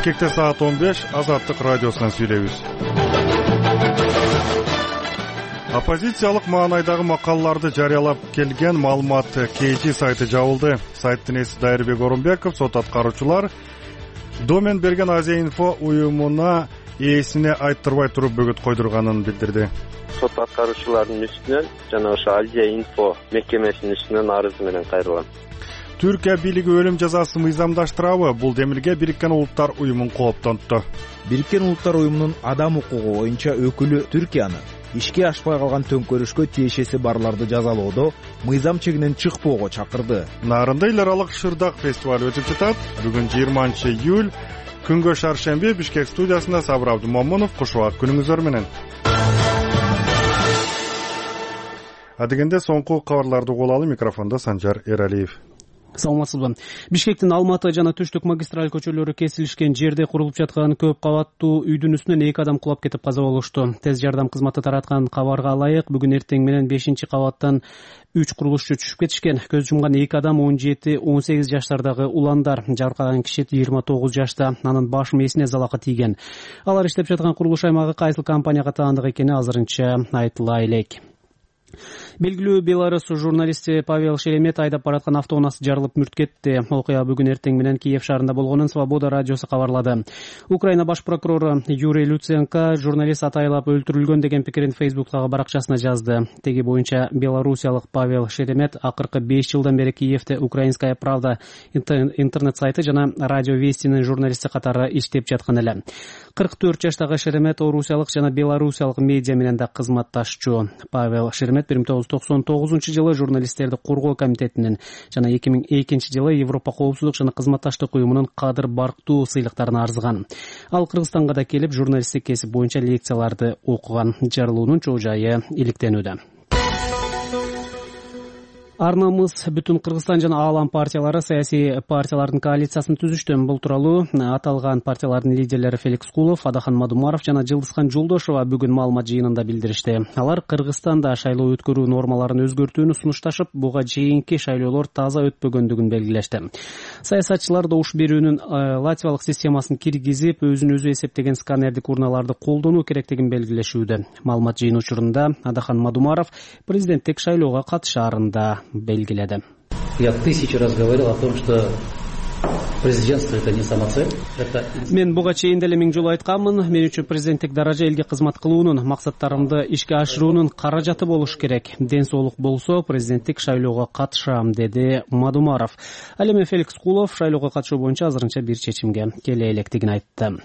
Бишкекте саат 15 Азаттык радиосунан сүйлөйбүз. Оппозициялык маанайдагы макалаларды жарыялап келген маалымат KG сайты жабылды. Сайттын ээси Дайырбек Орунбеков сот аткаруучулар домен берген Азия-инфо уюмуна ээсине айттырбай туруп бөгөт койдурганын билдирди. Сот аткаруучулардын үстүнөн жана ошо Азия-инфо мекемесинин үстүнөн арыз менен кайрылган. Түркия бийлиги өлүм жазасын мыйзамдаштырабы? Бул демилге Бириккен Улуттар уюмун кооптонтту. Бириккен Улуттар уюмунун адам укугу боюнча өкүлү Түркияны ишке ашпай калган төңкөрүшкө тиешеси барларды жазалоодо мыйзам чегинен чыкпоого чакырды. Нарында эл аралык Шырдак фестиваль өтүп жатат. Бүгүн 20-июль күнгө шаршемби Бишкек студиясында Сабыр Абдумомунов. Куш убак күнүңүздөр менен. Адегенде соңку кабарларды угуп алалы. Микрофондо Санжар Эралиев. Саламатсызбы. Бишкектин Алматы жана Түштүк магистраль көчөлөрү кесилишкен жерде курулуп жаткан көп кабаттуу үйдүн үстүнөн 2 адам кулап кетип каза болушту. Тез жардам кызматы тараткан кабарга ылайык бүгүн эртең менен 5-кабаттан 3 курулушчу түшүп кетишкен. Көз жумган 2 адам 17-18 жаштардагы уландар. Жаркаган киши 29 жашта. Анын баш мээсине залакы тийген. Алар иштеп жаткан курулуш аймагы кайсыл компанияга таандык экени азырынча айтыла элек. Белгилүү Беларус журналисти Павел Шеремет айдап бараткан автоунаасы жарылып мүрт кетти. Окуя бүгүн эртең менен Киев шаарында болгонун Свобода радиосу кабарлады. Украина баш прокурору Юрий Люценко журналист атайлап өлтүрүлгөн деген пикирин Фейсбуктагы баракчасына жазды. Теги боюнча белорусиялык Павел Шеремет акыркы 5 жылдан бери Киевде Украинская правда интернет сайты жана радио Вестинин журналисти катары иштеп жаткан эле. 44 жаштагы Шеремет орусиялык жана белорусиялык медиа менен да кызматташчу. Павел Шеремет 1999 журналисттерди коргоо комитетинин жана 2002 Европа коопсуздук жана кызматташтык уюмунун кадыр барктуу сыйлыктарына арзыган. Ал Кыргызстанга да келип журналисттик кесип боюнча лекцияларды окуган. Жарылуунун чоо жайы иликтенүүдө. Арнамыз бүтүн Кыргызстан жана Аалам партиялары саясий партиялардын коалициясын түзүштү. Бул тууралуу аталган партиялардын лидерлери Феликс Кулов, Адахан Мадумаров жана Жылдызхан Жолдошова бүгүн маалымат жыйынында билдиришти. Алар Кыргызстанда шайлоо өткөрүү нормаларын өзгөртүүнү сунушташып, буга чейинки шайлоолор таза өтпөгөндүгүн белгилешти. Саясатчылар добуш берүүнүн латвиялык системасын киргизип, өзүн өзү эсептеген сканердик урналарды колдонуу керектигин белгилешүүдө. Маалымат жыйын учурунда Адахан Мадумаров президенттик шайлоого катышаарын да белгиледи. Я 1000 раз говорил о том, что президентство это не самоцель. Мен буга чейин деле 1000 жолу айтканмын. Мен үчүн президенттик даража элге кызмат кылуунун, максаттарымды ишке ашыруунун каражаты болуш керек. Ден соолук болсо, президенттик шайлоого катышам, деди Мадумаров. Ал эми Феликс Кулов шайлоого катышуу боюнча азырынча бир чечимге келе электигин айтты.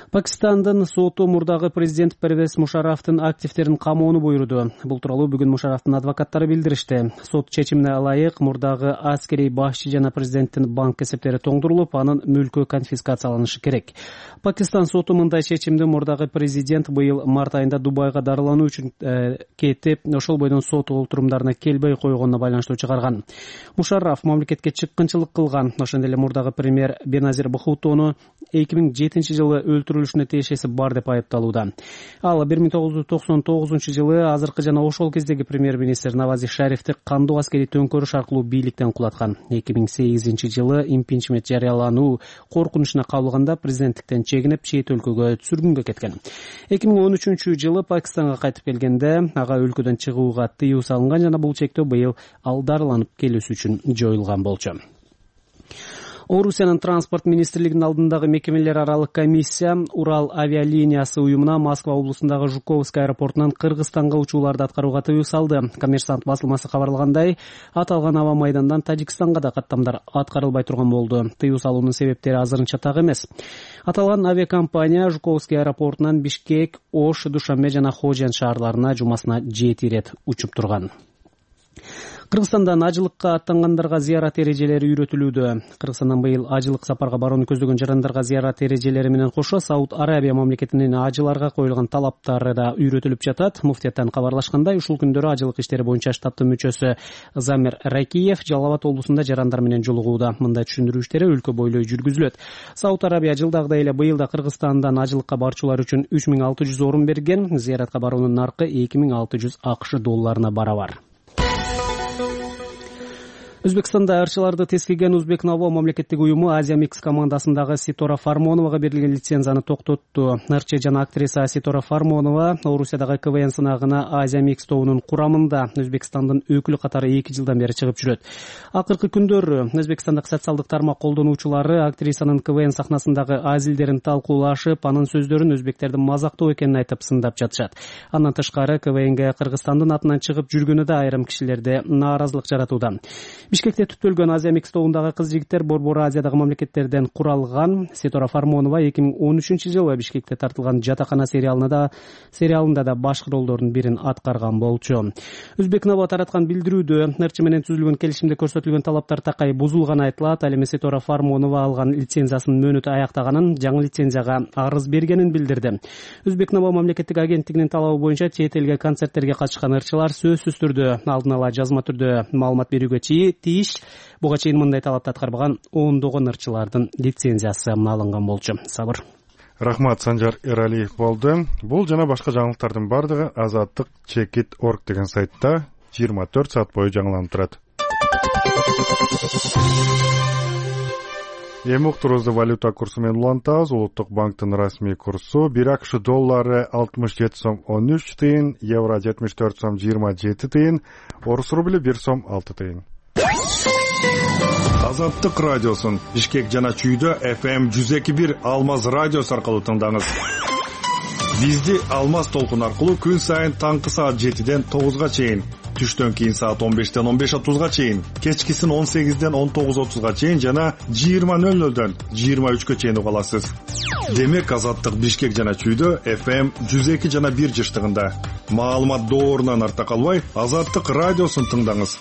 Пакистандын соту мурдагы президент Первез Мушарафтын активдерин камоону буйруду. Бул тууралуу бүгүн Мушарафтын адвокаттары билдиришти. Сот чечимине ылайык мурдагы аскерий башчы жана президенттин банк эсептери тоңдурулуп, анын мүлкү конфискацияланышы керек. Пакистан соту мындай чечимди мурдагы президент быйыл март айында Дубайга дарылануу үчүн кетип, ошол бойдон сот олтурумдарына келбей койгонуна байланыштуу чыгарган. Мушараф мамлекетке чыккынчылык кылган. Ошондой эле мурдагы премьер Беназир Бхуттону 2007 жылы өлтүрүлүшүнө тиешеси бар деп айыпталууда. Ал 1999 жылы азыркы жана ошол кездеги премьер-министр Навази Шарифти кандуу аскерий төңкөрүш аркылуу бийликтен кулаткан. 2008 жылы импичмент жарыялануу коркунучуна кабылганда президенттиктен чегинип чет өлкөгө сүргүнгө кеткен. 2013 жылы Пакистанга кайтып келгенде ага өлкөдөн чыгууга тыюу салынган жана бул чектөө быйыл ал дарыланып келүүсү үчүн жоюлган болчу. Орусиянын транспорт министрлигинин алдындагы мекемелер аралык комиссия Урал авиалиниясы уюмуна Москва облусундагы Жуковский аэропортунан Кыргызстанга учууларды аткарууга тыюу салды. Коммерсант басылмасы кабарлагандай, аталган аба майдандан Тажикстанга да каттамдар аткарылбай турган болду. Тыюу салуунун себептери азырынча так эмес. Аталган авиакомпания Жуковский аэропортунан Бишкек, Ош, Душанбе жана Хожен шаарларына жумасына 7 ирет учуп турган. Кыргызстандан ажылыкка аттангандарга зыярат эрежелери үйрөтүлүүдө. Кыргызстандан быйыл ажылык сапарга барууну көздөгөн жарандарга зыярат эрежелери менен кошо Сауд Арабия мамлекетинин ажыларга коюлган талаптары да үйрөтүлүп жатат. Муфтияттан кабарлашкандай, ушул күндөрү ажылык иштери боюнча штаттын мүчөсү Замир Ракиев Жалал Абад облусунда жарандар менен жолугууда. Мындай түшүндүрүү иштери өлкө бойлой жүргүзүлөт. Сауд Арабия жылдагыдай эле быйыл да Кыргызстандан ажылыкка барчулар үчүн 3600 орун берген. Зыяратка баруунун наркы $2600 барабар. Өзбекстанда ырчыларды тескиген Узбекнаво мамлекеттик уюму Азия Микс командасындагы Ситора Фармоновага берилген лицензияны токтотту. Ырчы жана актриса Ситора Фармонова Орусиядагы КВН сынагына Азия Микс тобунун курамында Өзбекстандын өкүлү катары 2 жылдан бери чыгып жүрөт. Акыркы күндөрү Өзбекстандагы социалдык тармак колдонуучулары актрисанын КВН сахнасындагы азилдерин талкуулашып, анын сөздөрүн өзбектердин мазактоо экенин айтып сындап жатышат. Андан тышкары КВНге Кыргызстандын атынан чыгып жүргөнү да айрым кишилерде нааразылык жаратууда. Бишкекте түптөлгөн Азия Микс тобундагы кыз-жигиттер Борбор Азиядагы мамлекеттерден куралган. Ситора Фармонова 2013-жылы Бишкекте тартылган Жатакана сериалында да баш ролдордун бирин аткарган болчу. Узбекнаво тараткан билдирүүдө ырчы менен түзүлгөн келишимде көрсөтүлгөн талаптар такай бузулганы айтылат. Ал эми Ситора Фармонова алган лицензиясынын мөөнөтү аяктаганын, жаңы лицензияга арыз бергенин билдирди. Узбекнаво мамлекеттик агенттигинин талабы боюнча чет элге концерттерге катышкан ырчылар сөзсүз түрдө алдын ала жазма түрдө маалымат берүүгө тийиш. Буга чейин мындай талапты аткарбаган ондогон ырчылардын лицензиясы алынган болчу. Сабыр. Рахмат, Санжар Эралиев болду. Бул жана башка жаңылыктардын бардыгы azadlik.org деген сайтта 24 саат бою жаңыланып турат. Эми уктуруубузду валюта курсу менен улантабыз. Улуттук банктын расмий курсу 1 акш доллары 67 сом 13 тыйын, евро 74 сом 27 тыйын, орус рубли 1 сом 6 тыйын. Азаттык радиосун Бишкек жана Чүйдө FM 102.1 Алмаз радиосу аркылуу тыңдаңыз. Бизди Алмаз толкун аркылуу күн сайын таңкы саат 7ден 9га чейин, түштөн кийин саат 15ден 15:30га чейин, кечкисин 18ден 19:30га чейин жана 20:00дөн 23га чейин уга аласыз. Демек Азаттык Бишкек жана Чүйдө FM 102 жана 1 жыштыгында. Маалымат доорунан арта калбай, Азаттык радиосун тыңдаңыз.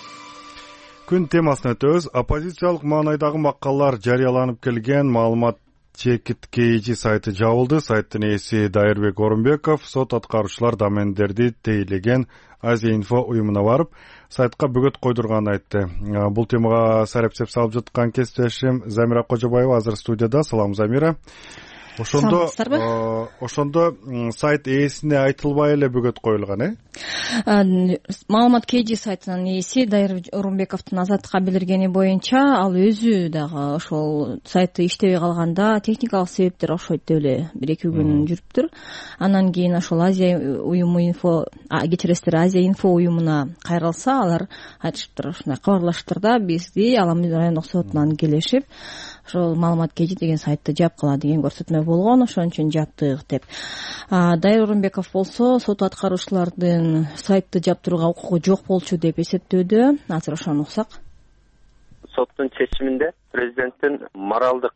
Күн темасына өтөбүз. Оппозициялык маанайдагы макаллар жарыяланып келген маалымат чекит KG сайты жабылды. Сайттын ээси Дайырбек Орунбеков сот аткаруучулар домендерди тейлеген Азия-инфо уюмуна барып, сайтка бөгөт койдурганын айтты. Бул темага сарапчылык салып жаткан кесиптешим Замира Кожобаева азыр студияда. Салам, Замира. Ошондо сайт ээсине айтылбай эле бөгөт коюлган, Маалымат KG сайтынын ээси Дайырбек Орунбековдун Азаттыкка билдиргени боюнча, ал өзү дагы ошол сайты иштебей калганда техникалык себептер окшойт деп эле 1-2 күн жүрүптүр. Андан кийин ошол Азия уюму Азия инфо уюмуна кайрылса, алар айтышыптыр, ушундай кабарлашыптыр да, бизди Аламын райондук сотунан келишип, ошол Маалымат KG деген сайтты жапкыла деген көрсөтмө болгон, ошон үчүн жаптык деп. Дайыр Орунбеков болсо сот аткаруучулардын сайтты жаптырууга укугу жок болчу деп эсептөөдө. Азыр ошону уксак. Соттун чечиминде президенттин моралдык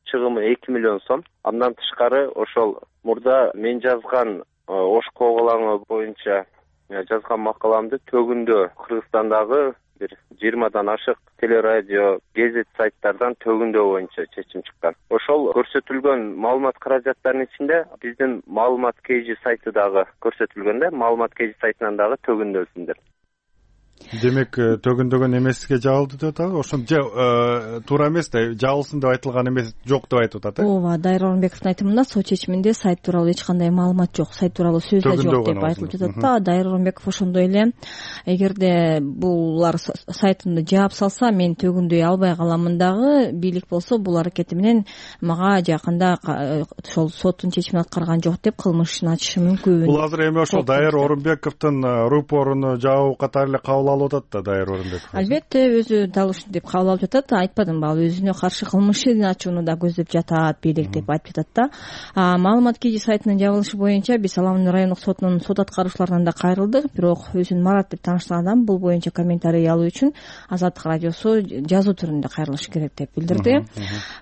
чыгымы 2 миллион сом. Андан тышкары ошол мурда мен жазган ош коголаңы боюнча жазган макаламды төгүндө Кыргызстандагы бир 20дан ашык телерадио, гезит сайттардан төгүндөө боюнча чечим чыккан. Ошол көрсөтүлгөн маалымат каражаттарынын ичинде биздин Маалымат KG сайты дагы көрсөтүлгөн да, Маалымат KG сайтынан дагы төгүндөөсүндөр. Демек, төгүндөгөн эмеске жабылды деп атабы? Ошон туура эмес да, жабылсын деп айтылган эмес, жок деп айтып атат, Ооба, Дайыр Орунбековдун айтымында сот чечиминде сайт тууралуу эч кандай маалымат жок, сайт тууралуу сөз да жок деп айтылып жатат да. Дайыр Орунбеков ошондой эле, эгерде булар сайтымды жаап салса, мен төгүндөй албай каламын дагы, бийлик болсо бул аракети менен мага жакында ошол соттун чечимин аткарган жок деп кылмыш ишин ачышы мүмкүн. Бул азыр эми ошол Дайыр Орунбековдун рупоруну жабуу катары эле кабыл алып атат да Дайыр Орунбеков. Албетте, өзү дал ушинтип кабыл алып жатат. Айтпадымбы, ал өзүнө каршы кылмыш ишин ачууну да көздөп жатат, бийлик деп айтып жатат да. Маалымат KG сайтынын жабылышы боюнча биз Аламын райондук сотунун сот аткаруучуларынан да кайрылдык, бирок өзүн Марат деп тааныштырган адам бул боюнча комментарий алуу үчүн Азаттык радиосу жазуу түрүндө кайрылышы керек деп билдирди.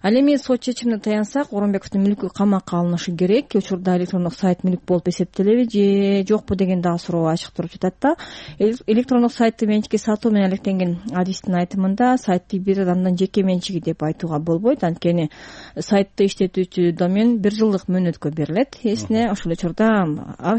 Ал эми сот чечимине таянсак, Орунбековдун мүлкү камакка алынышы керек. Учурда электрондук сайт мүлк болуп эсептелеби же жокпу деген дагы суроо ачык туруп жатат да. Электрондук сайтты менчикке сатуу менен алектенген адистин айтымында сайтты бир адамдын жеке менчиги деп айтууга болбойт, анткени сайтты иштетүүчү домен 1 жылдык мөөнөткө берилет. Эсине ошол учурда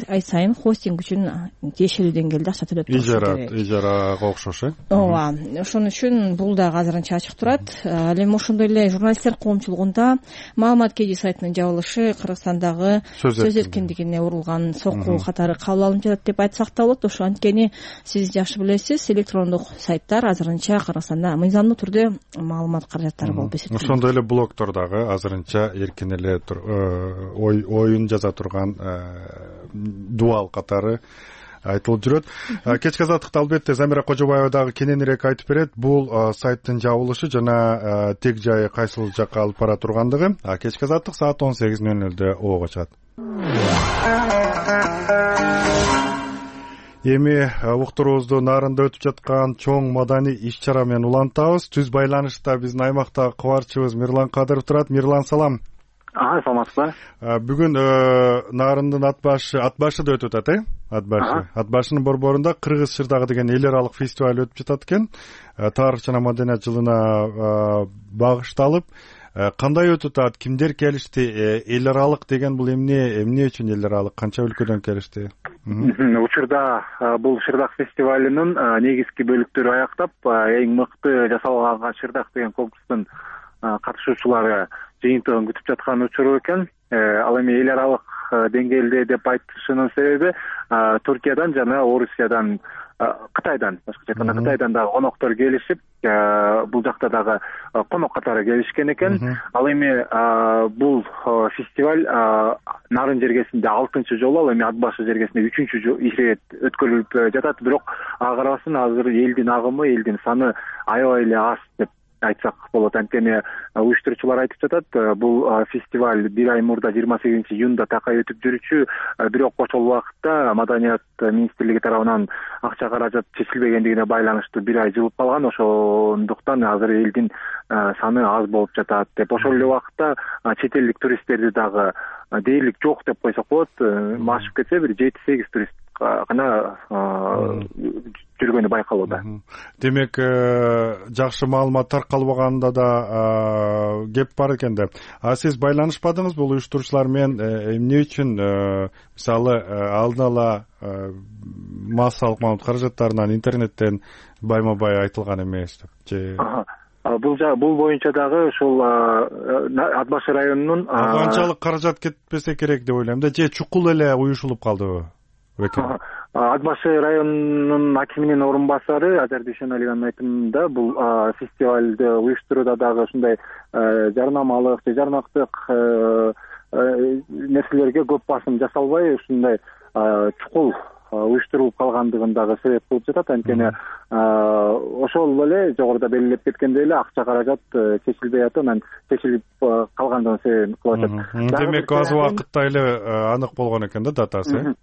ай сайын хостинг үчүн тиешелүү деңгээлде акча төлөп турушат керек. Ижарага окшош, Ооба, ошон үчүн бул дагы азырынча ачык турат. Ал эми ошондой эле журналисттер коомчулугунда Маалымат KG сайтынын жабылышы Кыргызстандагы сөз эркиндигине урулган сокку катары кабыл алынып жатат деп айтсак да болот. Ошо анткени сиз жакшы билесиз, белгисиз электрондук сайттар азырынча Кыргызстанда мыйзамдуу түрдө маалымат каражаттары болуп эсептелет. Ошондой эле блогдор дагы азырынча эркин эле оюн жаза турган дуал катары айтылып жүрөт. Кечки азаттыкта албетте Замира Кожобаева дагы кененирээк айтып берет. Бул сайттын жабылышы жана тег жайы кайсыл жакка алып бара тургандыгы. Кечки азаттык саат 18:00 ого чыгат. Эми уктуруубузду нарында өтүп жаткан чоң маданий иш-чара менен улантабыз. Түз байланышта биздин аймактагы кабарчыбыз Мирлан Кадыров турат. Мирлан, салам. Саламатсызбы? Бүгүн нарындын ат башыда өтүп атат, Ат башынын борборунда Кыргыз Шырдагы деген эл аралык фестиваль өтүп жатат экен. Тарых жана маданият жылына багышталып, кандай өтүп атат? Кимдер келишти? Эл аралык деген бул эмне үчүн эл аралык? Канча өлкөдөн келишти? Учурда бул Шырдак фестивалынын негизги бөлүктөрү аяктап, эң мыкты жасалган Шырдак деген конкурстун катышуучулары жыйынтыгын күтүп жаткан учуру экен. Ал эми эл аралык деңгээлде деп айтышынын себеби Туркиядан жана Орусиядан, Кытайдан, башкача айтканда Кытайдан дагы коноктор келишип, бул жакта дагы конок катары келишкен экен. Ал эми бул фестиваль Нарын жергесинде 6-чы жолу, ал эми Ат башы жергесинде 3-чү ирет өткөрүлүп жатат. Бирок ага карабастан азыр элдин агымы, элдин саны аябай эле аз деп айтсак болот. Анткени уюштуруучулар айтып жатат, бул фестиваль 1 ай мурда 28-июнда такай өтүп жүрчү, бирок ошол убакытта Маданият министрлиги тарабынан акча каражат чечилбегендигине байланыштуу 1 ай жылып калган. Ошондуктан азыр элдин саны аз болуп жатат деп. Ошол эле убакытта чет элдик туристтерди дагы дээрлик жок деп койсок болот. Машып кетсе бир 7-8 турист гана жүргөнү байкалууда. Демек, жакшы маалымат таркалбаганда да кеп бар экен да. Сиз байланышпадыңыз бул уюштуруучулар менен? Эмне үчүн мисалы алдын ала массалык маалымат каражаттарынан интернеттен байма-бай айтылган эмес деп? Бул боюнча дагы ушул Ат башы районунун канчалык каражат кетпесе керек деп ойлойм да, же чукул эле уюшулуп калдыбы? Ат башы районунун акиминин орун басары Азар Дүйшөналиганын айтымында бул фестивалды уюштурууда дагы ушундай жарнамалык же жарнактык нерселерге көп басым жасалбай, ушундай чукул уюштурулуп калгандыгын дагы себеп кылып жатат. Анткени ошол эле жогоруда белгилеп кеткендей эле акча каражат чечилбей атып, анан чечилип калгандыгын себебин кылып атат. Демек, аз убакытта эле анык болгон экен да датасы.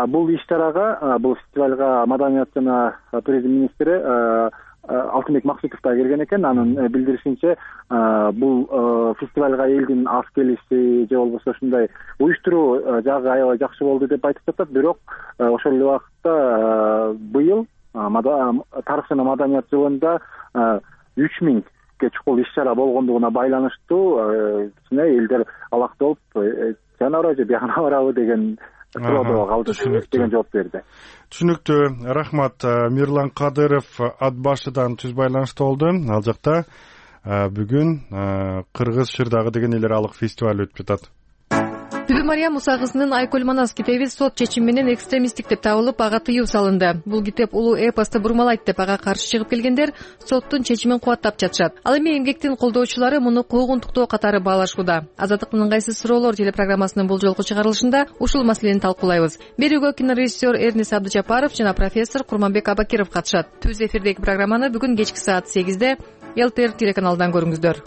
Бул иш-чарага, бул фестивалга Маданият жана туризм министри Алтынбек Максутов да келген экен. Анын билдиришинче, бул фестивалга элдин аз келиши же болбосо ушундай уюштуруу жагы аябай жакшы болду деп айтып жатат. Бирок ошол эле убакытта быйыл тарых жана маданият жылында 3000 чукул иш-чара болгондугуна байланыштуу кичине элдер алакталып, жанабарбы же бияна барабы деген суроодо калды деген жооп берди. Түшүнүктүү. Рахмат. Мирлан Кадыров Ат башыдан түз байланышта болду. Ал жакта бүгүн Кыргыз Шырдагы деген эл аралык фестиваль өтүп жатат. Түбү Мария Муса кызынын Айкөл Манас китеби сот чечими менен экстремисттик деп табылып, ага тыюу салынды. Бул китеп улуу эпосту бурмалайт деп ага каршы чыгып келгендер соттун чечимин кубаттап жатышат. Ал эми эмгектин колдоочулары муну куугунтуктоо катары баалашууда. Азаттыктын ыңгайсыз суроолор телепрограммасынын бул жолку чыгарылышында ушул маселени талкуулайбыз. Берүүгө кинорежиссер Эрнис Абдыжапаров жана профессор Курманбек Абакиров катышат. Түз эфирдеги программаны бүгүн кечки саат 8-де ЛТР телеканалынан көрүңүздөр.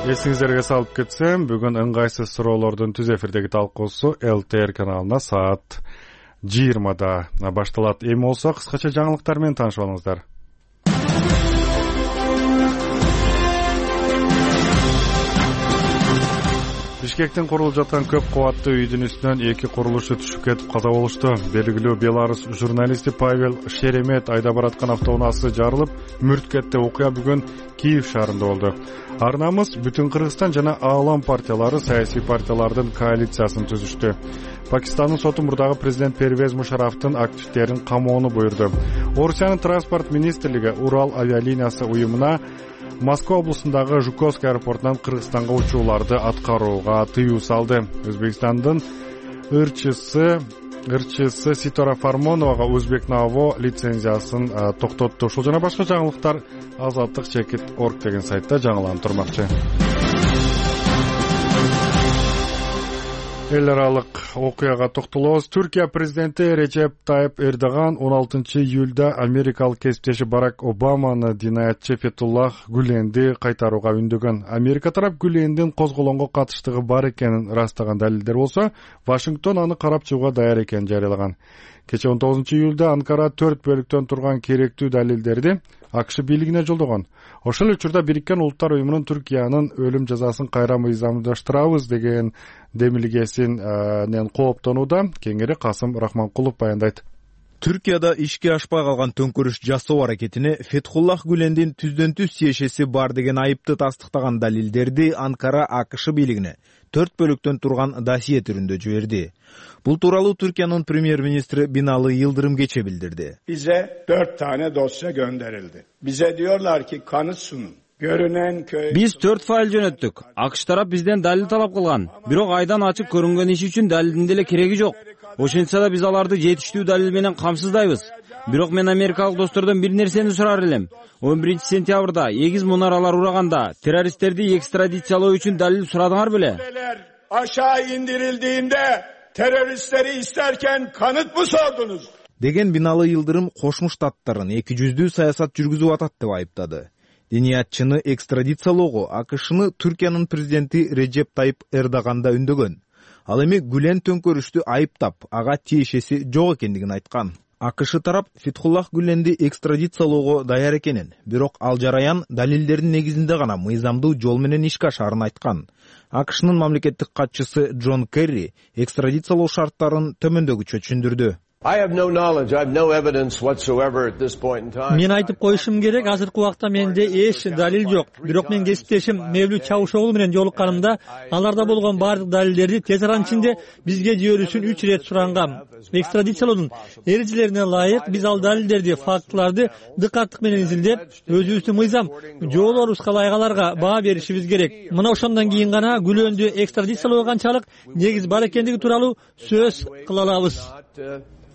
Эсиңиздерге салып кетсем, бүгүн ыңгайсыз суроолордун түз эфирдеги талкуусу ЛТР каналына саат 20-да башталат. Эми болсо кыскача жаңылыктар менен таанышып алыңыздар. Бишкектин курулуп жаткан көп кабаттуу үйдүн үстүнөн 2 курулушчу түшүп кетип каза болушту. Белгилүү Беларус журналисти Павел Шеремет айдап бараткан автоунаасы жарылып, мүрт кетти. Окуя бүгүн Киев шаарында болду. Арнамыз бүтүн Кыргызстан жана Аалам партиялары саясий партиялардын коалициясын түзүштү. Пакистандын соту мурдагы президент Первез Мушарафтын активдерин камоону буйрду. Орусиянын транспорт министрлиги Урал авиалиниясы уюмуна Москва облусундагы Жуковский аэропортунан Кыргызстанга учууларды аткарууга тыюу салды. Өзбекстандын ырчысы ырчысы Ситора Фармоновага Узбек Наво лицензиясын токтотту. Ушул жана башка жаңылыктар Азаттык Чекит.org деген сайтта жаңыланып турмакчы. Эл аралык окуяга токтолобуз. Түркия президенти Речеп Тайып Эрдоган 16-июлда америкалык кесиптеши Барак Обаманы динаятчы Фетуллах Гүленди кайтарууга үндөгөн. Америка тарап Гүлендин козголонго катыштыгы бар экенин ырастаган далилдер болсо, Вашингтон аны карап чыгууга даяр экенин жарыялаган. Кече 19-июлда Анкара 4 бөлүктөн турган керектүү далилдерди АКШ бийлигине жолдогон. Ошол учурда Бириккен Улуттар уюмунун Түркиянын өлүм жазасын кайра мыйзамдаштырабыз деген демилгесинен кооптонууда. Кеңири Касым Рахманкулов баяндайт. Түркияда ишке ашпай калган төңкөрүш жасоо аракетине Фетхуллах Гүлендин түздөн түз тиешеси бар деген айыпты тастыктаган далилдерди Анкара АКШ бийлигине 4 бөлүктөн турган досье түрүндө жиберди. Бул тууралуу Түркиянын премьер-министри Бинали Yıldırım кече билдирди. Bize 4 tane dosya gönderildi. Bize diyorlar ki kanıt sunun. Görünen köy... Biz 4 fail жөнөттүк. АКШ тарап бизден далил талап кылган. Бирок айдан ачык көрүнгөн иш үчүн далилдин деле кереги жок. Ошентсе да биз аларды жетиштүү далил менен камсыздайбыз. Бирок мен америкалык достордон бир нерсени сурар элем. 11-сентябрда эгиз мунаралар ураганда террористтерди экстрадициялоо үчүн далил сурадыңар беле? Aşağı indirildiğinde teröristleri isterken kanıt mı sordunuz? Деген Бинали Yıldırım Кошмо Штаттарын 200 саясат жүргүзүп атат деп айыптады. Диниятчыны экстрадициялоого АКШны Түркиянын президенти Режеп Тайып Эрдоган да үндөгөн. Ал эми Гүлен төңкөрүштү айыптап, ага тиешеси жок экендигин айткан. АКШ тарап Фетхуллах Гүленди экстрадициялоого даяр экенин, бирок ал жараян далилдердин негизинде гана мыйзамдуу жол менен ишке ашаарын айткан. АКШнын мамлекеттик катчысы Джон Керри экстрадициялоо шарттарын төмөндөгүчө түшүндүрдү. Мен айтып коюшум керек, азыркы убакта менде эч далил жок. Бирок мен кесиптешим Мевлют Чавушоглу менен жолукканымда аларда болгон бардык далилдерди тез аран ичинде бизге жиберүүсүн 3 ирет сурангам. Экстрадициялоодун эрежелерине ылайык биз ал далилдерди, фактыларды дыкаттык менен изилдеп, өзүбүздүн мыйзам жоолорубузга ылайык аларга баа беришибиз керек. Мына ошондон кийин гана Гүлөндү экстрадициялоого канчалык негиз бар экендиги тууралуу сөз кыла алабыз.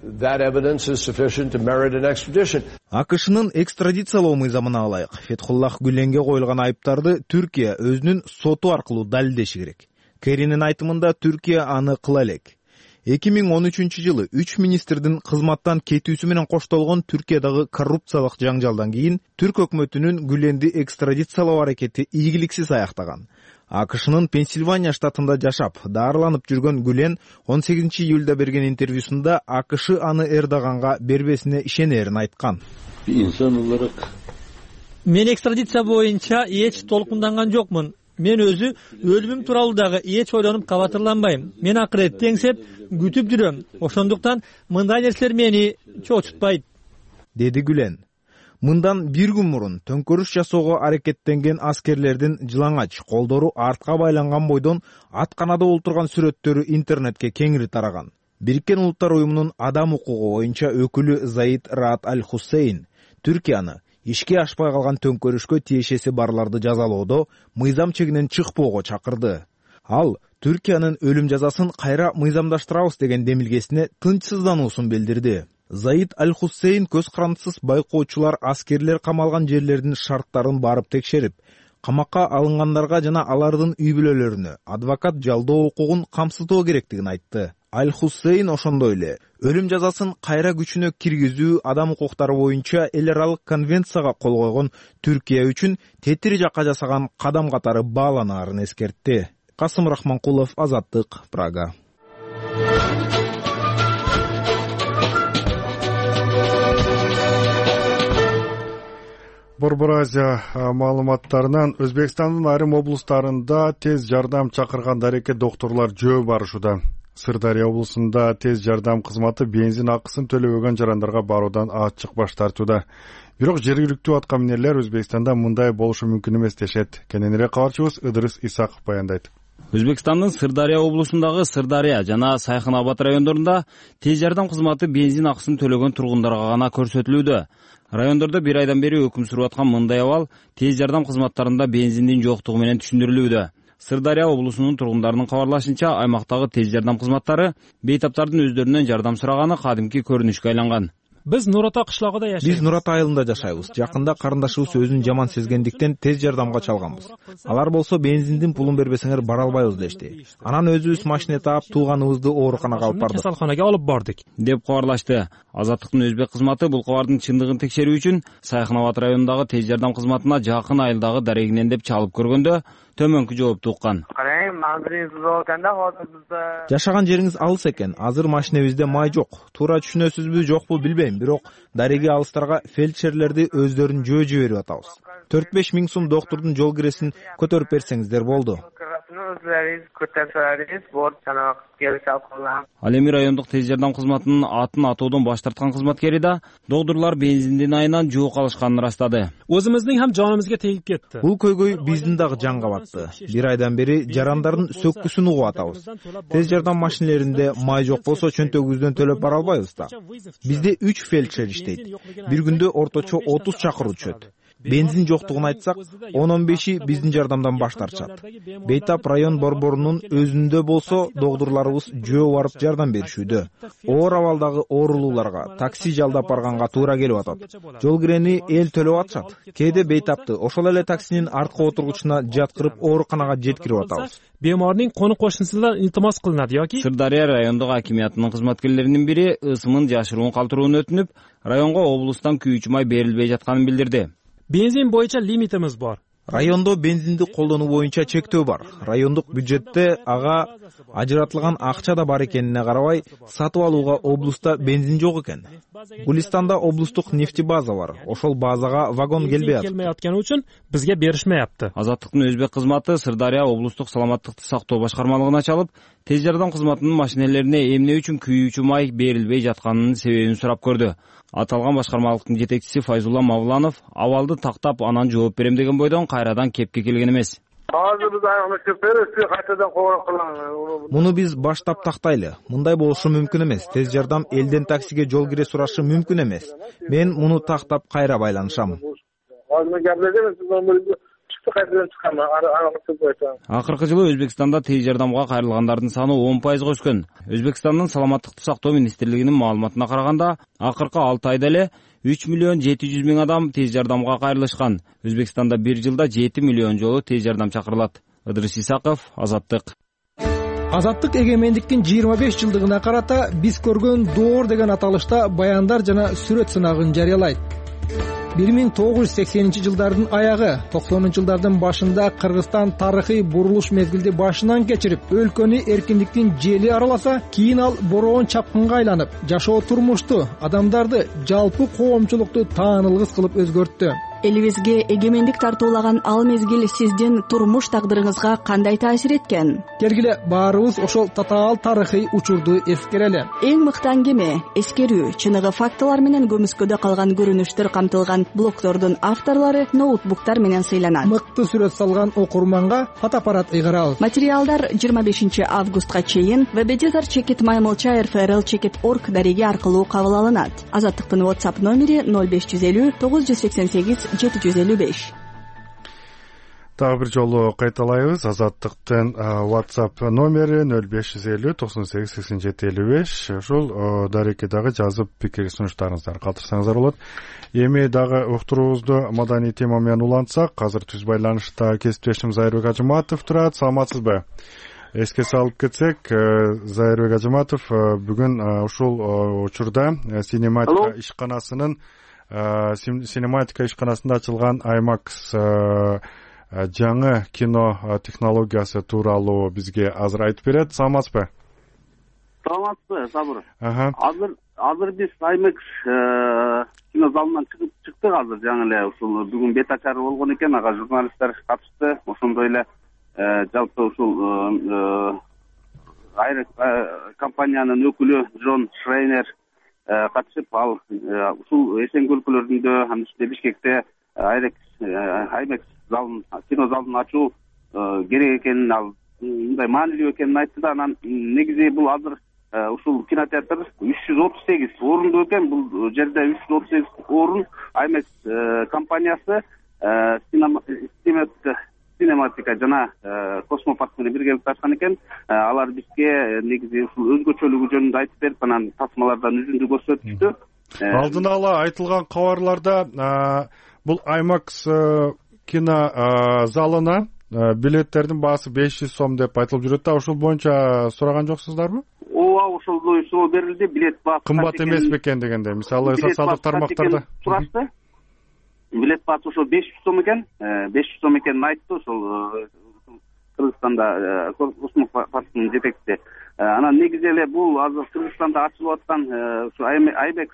That evidence is sufficient to merit an extradition. АКШнын экстрадициялоо мыйзамына ылайык Фетхуллах Гүленге коюлган айыптарды Түркия өзүнүн соту аркылуу далилдеши керек. Керинин айтымында Түркия аны кыла элек. 2013-жылы 3 министрдин кызматтан кетүүсү менен коштолгон Түркиядагы коррупциялык жаңжалдан кийин Түрк өкмөтүнүн Гүленди экстрадициялоо аракети ийгиликсиз аяктаган. АКШнын Пенсильвания штатында жашап, даарыланып жүргөн Гүлен 18-июлда берген интервьюсунда АКШ аны Эрдоганга бербесине ишенерин айткан. Мен экстрадиция боюнча эч толкунданган жокмун. Мен өзү өлүмүм тууралуу дагы эч ойлонуп кабатырланбайм. Мен акырет теңсеп күтүп жүрөм. Ошондуктан мындай нерселер мени чочутпайт, деди Гүлен. Мындан бир күн мурун төңкөрүш жасоого аракеттенген аскерлердин жылаңач, колдору артка байланган бойдон атканада олтурган сүрөттөрү интернетке кеңири тараган. Бириккен Улуттар уюмунун адам укугу боюнча өкүлү Заид Раат Аль-Хусейн Түркияны ишке ашпай калган төңкөрүшкө тиешеси барларды жазалоодо мыйзам чегинен чыкпоого чакырды. Ал Түркиянын өлүм жазасын кайра мыйзамдаштырабыз деген демилгесине тынчсыздануусун билдирди. Заид Аль-Хусейн көз карандысыз байкоочулар аскерлер камалган жерлердин шарттарын барып текшерип, камакка алынгандарга жана алардын үй бүлөлөрүнө адвокат жалдоо укугун камсыздоо керектигин айтты. Аль-Хусейн ошондой эле өлүм жазасын кайра күчүнө киргизүү адам укуктары боюнча эл аралык конвенцияга кол койгон Түркия үчүн тетири жакка жасаган кадам катары бааланаарын эскертти. Касым Рахманкулов, Азаттык, Прага. Борбор Азия маалыматтарынан Өзбекстандын айрым облустарында тез жардам чакырган дарекке докторлор жөө барышууда. Сырдария облусунда тез жардам кызматы бензин акысын төлөбөгөн жарандарга баруудан ачык баш тартууда. Бирок жергиликтүү аткаминерлер Өзбекстанда мындай болушу мүмкүн эмес дешет. Кененирээк кабарчыбыз Ыдырыс Исаков баяндайт. Өзбекстандын Сырдария облусундагы Сырдария жана Сайхын-Абад райондорунда тез жардам кызматы бензин акысын төлөгөн тургундарга гана көрсөтүлүүдө. Райондордо бир айдан бери өкүм сүрүп аткан мындай абал тез жардам кызматтарында бензиндин жоктугу менен түшүндүрүлүүдө. Сырдария облусунун тургундарынын кабарлашынча, аймактагы тез жардам кызматтары бейтаптардын өздөрүнөн жардам сураганы кадимки көрүнүшкө айланган. Биз Нур Ата кышлогунда жашайбыз. Биз Нур Ата айылында жашайбыз. Жакында карындашыбыз өзүн жаман сезгендиктен тез жардамга чалганбыз. Алар болсо бензиндин пулун бербесеңер бара албайбыз дешти. Анан өзүбүз машина таап тууганыбызды ооруканага алып бардык. Касалканага алып бардык, деп кабарлашты. Азаттыктын өзбек кызматы бул кабардын чындыгын текшерүү үчүн Сайхынабад районундагы тез жардам кызматына жакын айылдагы дарегинен деп чалып көргөндө төмөнкү жоопту уккан. Жашаган жериңиз алыс экен. Азыр машинебизде май жок. Туура түшүнөсүзбү, жокпу билбейм, бирок дареги алыстарга фельдшерлерди өздөрүн жөө жиберип атабыз. 4-5 миң сум доктурдун жол киресин көтөрүп берсеңиздер болду. Ал эми райондук тез жардам кызматынын атын атоодон баш тарткан кызматкери да доктурлар бензиндин айынан жуук алышканын ырастады. Өзүбүздүн ham жаныбызга тегип кетти. Бул көйгөй биздин дагы жанга батты. Бир айдан бери жарандардын сөккүсүн угуп атабыз. Тез жардам машинелеринде май жок болсо чөнтөгүбүздөн төлөп бара албайбыз да. Бизде 3 фельдшер иштейт. Бир күндө орточо 30 чакыруу түшөт. Бензин жоктугун айтсак, 10-15 биздин жардамдан баш тартышат. Бейтап район борборунун өзүндө болсо доктурларыбыз жөө барып жардам беришүүдө. Оор абалдагы оорулууларга такси жалдап барганга туура келип атат. Жол кирени эл төлөп атышат. Кээде бейтапты ошол эле таксинин арткы отургучуна жаткырып ооруканага жеткирип атабыз. Бемордун кону кошунусуна илтимос кылынат yoki Сырдария райондук акимиятынын кызматкерлеринин бири ысымын жашыруун калтырууну өтүнүп, районго облустан күйүүчү май берилбей жатканын билдирди. Бензин боюнча лимитimiz бар. Райондо бензинди колдонуу боюнча чектөө бар. Райондук бюджетте ага ажыратылган акча да бар экенине карабай, сатып алууга облуста бензин жок экен. Гулистанда облустук нефтебаза бар. Ошол базага вагон келбей атат. Келмей атканы үчүн бизге беришмейапты. Азаттыктын өзбек кызматы Сырдария облустук саламаттыкты сактоо башкармалыгына чалып, тез жардам кызматынын машинелерине эмне үчүн күйүүчү май берилбей жатканынын себебин сурап көрдү. Аталган башкармалыктын жетекчиси Файзулла Мавланов абалды тактап анан жооп берем деген бойдон кайрадан кепке келген эмес. Азыр биз аягына беришти, кайтадан кобор кылам. Муну биз баштап тактайлы. Мындай болушу мүмкүн эмес. Тез жардам элден таксиге жол кире сурашы мүмкүн эмес. Мен муну тактап кайра байланышам. Акыркы жылы Өзбекстанда тез жардамга кайрылгандардын саны 10% өскөн. Өзбекстандын саламаттыкты сактоо министрлигинин маалыматына караганда, акыркы 6 айда эле 3 миллион 700 миң адам тез жардамга кайрылышкан. Өзбекстанда бир жылда 7 миллион жолу тез жардам чакырылат. Ыдырыс Исаков, Азаттык. Азаттык эгемендиктин 25 жылдыгына карата биз көргөн доор деген аталышта баяндар жана сүрөт сынагын жарыялайт. 1980 жылдардын аягы, 90 жылдардын башында Кыргызстан тарыхый бурулуш мезгилди башынан кечирип, өлкөнү эркиндиктин жели араласа, кийин ал бороон чапкынга айланып, жашоо турмушту, адамдарды, жалпы коомчулукту таанылгыс кылып өзгөрттү. Элибизге эгемендик тартуулаган ал мезгил сиздин турмуш тагдырыңызга кандай таасир эткен? Келгиле баарыбыз ошол татаал тарыхый учурду эскерели. Эң мыкты аңгеме, эскерүү, чыныгы фактылар менен көмүскөдө калган көрүнүштөр камтылган блогдордун авторлору ноутбуктар менен сыйланат. Мыкты сүрөт салган окурманга фотоаппарат ыйгарабыз. Материалдар 25 августка чейин www.maymolcha.rfrl.org дареги аркылуу кабыл алынат. Азаттыктын WhatsApp номери 0550 988 755. Дагы бир жолу кайталайбыз. Азаттыктын WhatsApp номери 0550 98 87 55. Ошол дарекке дагы жазып пикир сунуштарыңыздарды калтырсаңыздар болот. Эми дагы уктуруубузду маданий тема менен улантсак, азыр түз байланышта кесиптешим Зайырбек Ажыматов турат. Саламатсызбы? Эске салып кетсек, Зайырбек Ажыматов бүгүн ушул учурда синематика ишканасында ачылган IMAX жаңы кино технологиясы тууралуу бизге азыр айтып берет. Саламатсызбы? Саламатсызбы, Сабыр. Азыр биз IMAX кино залынан чыктык азыр жаңы эле ушул бүгүн бета чары болгон экен, ага журналисттер катышты. Ошондой эле жалпы ушул компаниянын өкүлү Джон Шрейнер катышып, ал ушул Эсенки өлкөлөрүндө, анын ичинде Бишкекте IMAX залын, кино залын ачуу керек экенин, ал мындай маанилүү экенин айтты да. Анан негизи бул азыр ушул кинотеатр 338 орунду экен. Бул жерде 338 орун IMAX компаниясы Cinematica жана Космопарк менен биргеликте ачкан экен. Алар бизге негизи ушул өзгөчөлүгү жөнүндө айтып берип, анан тасмалардан үзүндү көрсөтүштү. Алдын ала айтылган кабарларда бул IMAX кино залына билеттердин баасы 500 сом деп айтылып жүрөт да, ошол боюнча сураган жоксуздарбы? Ооба, ошол суроо берилди. Билет баасы кымбат эмес бекен дегенде, мисалы социалдык тармактарда сурашты. Билет баасы ошол 500 сом экен. 500 сом экенин айтты ошол Кыргызстанда Космопарктын жетекчиси. Анан негизи эле бул азыр Кыргызстанда ачылып аткан ушу IMAX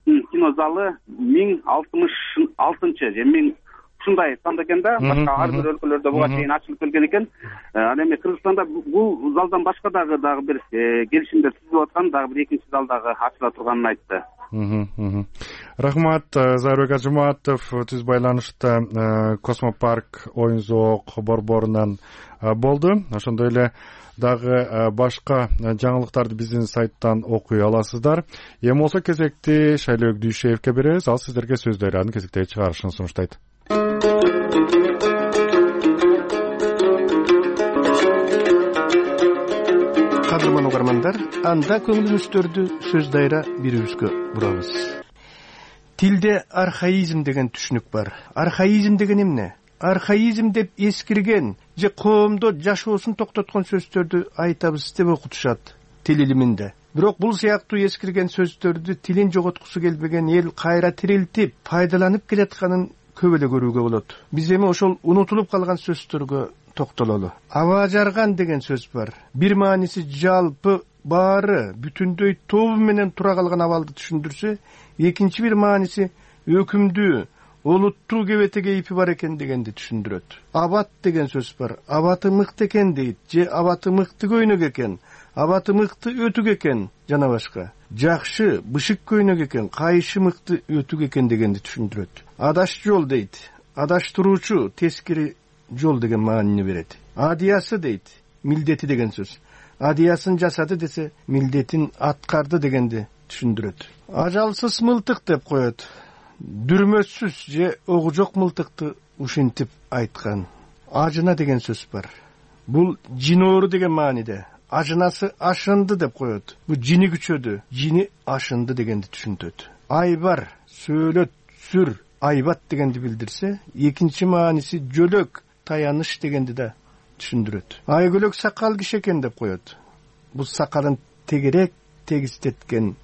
кино залы 1066 же 1000 ушундай санда экен да. Башка ар бир өлкөлөрдө буга чейин ачылып келген экен. Ал эми Кыргызстанда бул залдан башка дагы бир келишимдер түзүлүп аткан, дагы бир экинчи зал дагы ачыла турганын айтты. Рахмат, Зайырбек Ажыматов түз байланышта Космопарк оюн зоок борборунан болду. Ошондой эле дагы башка жаңылыктарды биздин сайттан окуй аласыздар. Эми болсо кезекти Шайлообек Дүйшеевке беребиз. Ал сиздерге сөз дарыянын кезектеги чыгарышын сунуштайт. Кадырман угармандар, анда көңүлүңүздөрдү сөз дайра берүүбүзгө бурабыз. Тилде архаизм деген түшүнүк бар. Архаизм деген эмне? Архаизм деп эскирген же коомдо жашоосун токтоткон сөздөрдү айтабыз деп окутушат тил илиминде. Бирок бул сыяктуу эскирген сөздөрдү тилин жоготкусу келбеген эл кайра тирилтип, пайдаланып келатканын көп эле көрүүгө болот. Биз эми ошол унутулуп калган сөздөргө токтололу. Аба жарган деген сөз бар. Бир мааниси жалпы, баары, бүтүндөй тобу менен тура калган абалды түшүндүрсө, экинчи бир мааниси өкүмдүү, олуттуу кебете кейпи бар экен дегенди түшүндүрөт. Абат деген сөз бар. Абаты мыкты экен дейт, же абаты мыкты көйнөк экен, абаты мыкты өтүк экен жана башка. Жакшы, бышык көйнөк экен, кайшы мыкты өтүк экен дегенди түшүндүрөт. Адаш жол дейт. Адаштыруучу, тескери жол деген маанини берет. Адиясы дейт. Милдети деген сөз. Адиясын жасады десе, милдетин аткарды дегенди түшүндүрөт. Ажалсыз мылтык деп коет. Дүрмөсүз же огу жок мылтыкты ушинтип айткан. Ажына деген сөз бар. Бул жиноору деген мааниде. Ажынасы ашынды деп коет. Бул жини күчөдү, жини ашынды дегенди түшүнтөт. Айбар, сөөлөт, сүр, айбат дегенди билдирсе, экинчи мааниси жөлөк, таяныш дегенди да түшүндүрөт. Айгөлөк сакал киши экен деп коет. Бул сакалын тегерек тегистеткен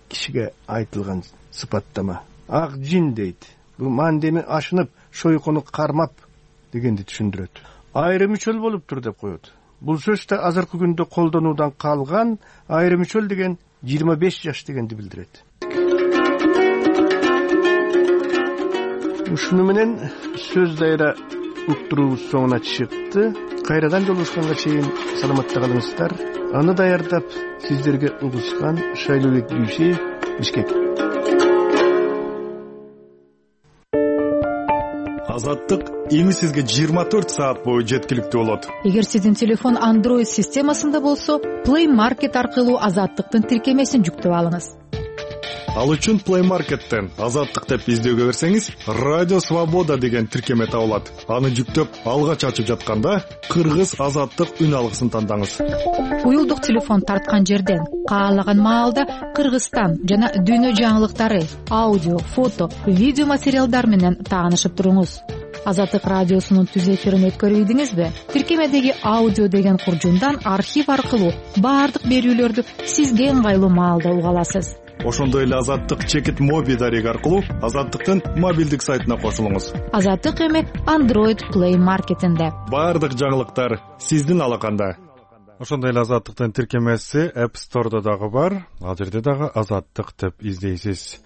кишиге айтылган сыпаттама. Ак жин дейт. Бул мандеми ашынып, шойкону кармап дегенди түшүндүрөт. Айрым үчөл болуптур деп коет. Бул сөз да азыркы күндө колдонуудан калган. Айрым үчөл деген 25 жаш дегенди билдирет. Ушуну менен сөз дайра уктуруубуз соңуна чыкты. Кайрадан жолугушканга чейин саламатта калыңыздар. Аны даярдап сиздерге угушкан Шайлообек Дүйшеев, Бишкек. Азаттык эми сизге 24 саат бою жеткиликтүү болот. Эгер сиздин телефон Android системасында болсо, Play Market аркылуу Азаттыктын тиркемесин жүктөп алыңыз. Ал үчүн Play Market'тен Азаттык деп издөөгө берсеңиз, Радио Свобода деген тиркеме табылат. Аны жүктөп, алгач ачып жатканда Кыргыз Азаттык үн алгысын тандаңыз. Уюлдук телефон тарткан жерден каалаган маалда Кыргызстан жана дүйнө жаңылыктары, аудио, фото, видео материалдар менен таанышып туруңуз. Азаттык радиосунун түз эфирин өткөрүйдүңүзбү? Тиркемедеги аудио деген куржундан архив аркылуу баардык берүүлөрдү сизге ыңгайлуу маалда уга аласыз. Ошондой эле Азаттык чекит моби дареги аркылуу Азаттыктын мобилдик сайтына кошулуңуз. Азаттык эми Android Play Market'инде. Баардык жаңылыктар сиздин алаканда. Ошондой эле Азаттыктын тиркемеси App Store'да дагы бар. Ал жерде дагы Азаттык деп издейсиз.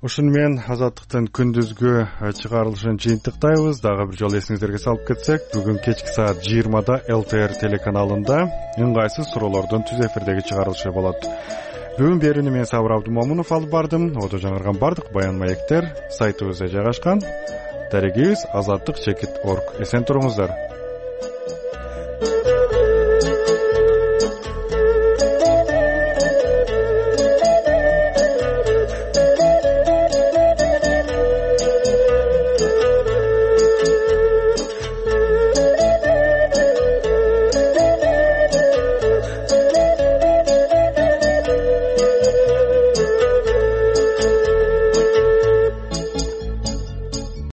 Ушуну менен Азаттыктын күндүзгү чыгарылышын жыйынтыктайбыз. Дагы бир жолу эсиңиздерге салып кетсек, бүгүн кечки саат 20-да LTR телеканалында ыңгайсыз суроолордун түз эфирдеги чыгарылышы болот. Бүгүн берүүнү мен Сабыр Абдумомунов алып бардым. Одо жаңырган бардык баян маектер сайтыбызда жайгашкан. Дарегибиз Азаттык чекит.org. Эсен туруңуздар.